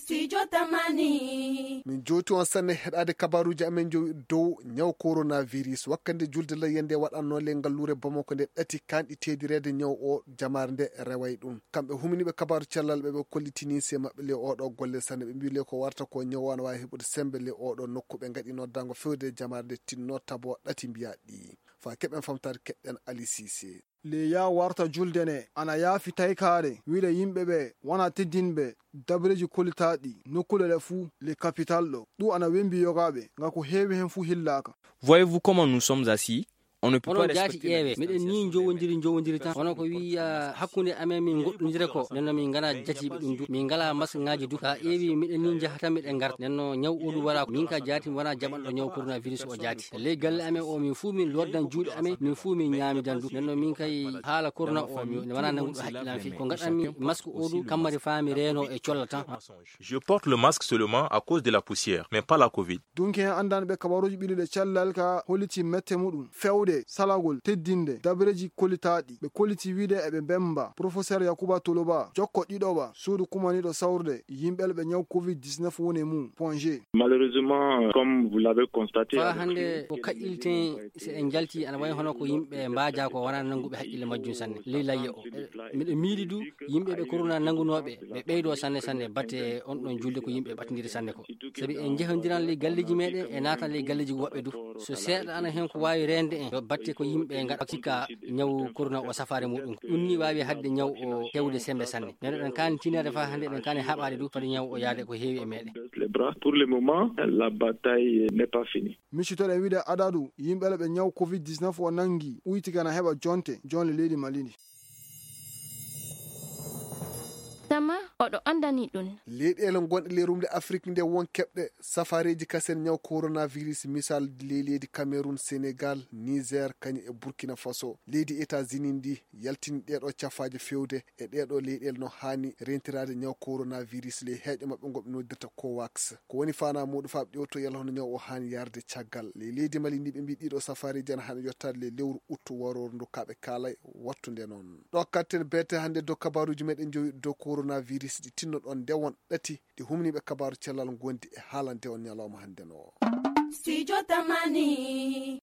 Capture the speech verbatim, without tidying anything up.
Studio Tamani. Min jowti on sanne heɗaade kabaaruuji amen jowi dow ñaw coronavirus. Wakkande julde layyande waɗanno le ngalluure Bamako nde ɗati kanɗi teedireede ñaw o jamaare nde reway ɗum. Kamɓe huminiiɓe kabaaru cellal ɓe ɓe kollitini se maɓɓe le oɗo golle sanne ɓe mbi le ko warta ko ñaw o ana waawi heɓude sembe le oɗo nokku ɓe ngaɗi noddango fewde jamaare nde tinno tabo ɗati mbiya ɗi. Fa keɓen famtaade keɗɗen Ali Cissé. Le ya warta julde ne ana yaafi taykaare wiide yimɓe ɓe wona teddinɓe dabreji kolitaaɗi nokkuule ɗe fuu le kapital ɗo ɗum ana wembi yogaaɓe nga ko heewi heen fuu hillaaka. Voyez-vous comment nous sommes assis? On ne peut pas onon jaati respecter la ƴeewe distance miɗen ni social. Jowondiri jowondiri tan hono ko wiya hakkunde amen min goɗɗondire ko nenno min ngana jatiiɓe ɗum du min ngala masque ngaji du sa ƴeewi miɗen ni njaha tan miɗen ngarta nenno ñaw oɗu wala ko min ka jaati mi wona jaɓanɗo ñaw coronavirus o jaati ley galle amen o min fuu min loddan juuɗe amen min fuu min ñaamidan du nenno min kay haala corona o mi wona nanguɗo haqqillan fi ko gaɗanmi masque oɗu kammari faa mi reeno e colla tan. Je porte le masque seulement à cause de la poussière, mais pas la covid. Dunki hen anndanɓe kabaruuji ɓiɗuɗe cellal ka holliti mette muɗum fewde salagol teddinde dabareeji kollitaaɗi ɓe kolliti wiide eɓe mbemba professeur Yakuba Toloba jokko ɗiɗoɓa suudu kumaniiɗo sawrde yimɓel ɓe ñaw covid dix-neuf woni e mum ponge. Malheureusement, comme vous l'avez constaté, faa hannde ko kaƴƴilten si en njalti ana wayi hono ko yimɓe mbaaja ko wona nannguɓe haqqille majjum sanne ley layya o miɗo miili du yimɓe ɓe korona nanngunooɓe ɓe ɓeydoo sanne sanne batte on ɗon julde ko yimɓe ɓatindiri sanne ko sabi en njehandiran ley galleeji meɗen e naatan ley galleeji woɓɓe du so seeɗa ana heen ko waawi reende en yo batte ko yimɓe ngaɗa sikka ñaw korona o safaare muɗum ɗum ni waawi hadde ñaw o hewde sembe sanne nde ɗen kaani tinade faa hannde ɗen kaani haɓaade du fade ñaw o yaade ko heewi e meɗen. Les bras. Pour le moment, la bataille n'est pas finie. Miccitoɗen wiide adadu yimɓe ɓe ñaw covid dix-neuf o nanngi uytigana heɓa jonte jonle leydi Mali ndi. Tama oɗo anndani ɗum. Leyɗeele gonɗe ley rumde Afrik nde won keɓɗe safareeji kasen ñaw coronavirus misal ley leydi Cameroun, Senegal, Niger, kañum e Burkina Faso. Leydi États-Unis ndi yaltini ɗeeɗo cafaaje fewde e ɗeeɗo leyɗeele no haani rentiraade ñaw coronavirus ley heeƴo maɓɓe ngo ɓe noddirta covax ko woni faanaa muuɗum faa ɓe ƴewto yalla hono ñaw o haani yarde caggal ley leydi Mali ndi ɓe mbi ɗiɗo safareeji ana haani yottaade ley lewru uttu warooru ndu kaa ɓe kaalay wattunde noon ɗo katten beete hannde dow kabaaruuji meɗen jowi dow coronavirus ɗi tinnoɗon nde won ɗati ɗi humniiɓe kabaaru cellal ngondi e haalande on ñalawma hannde no. Studio Tamani.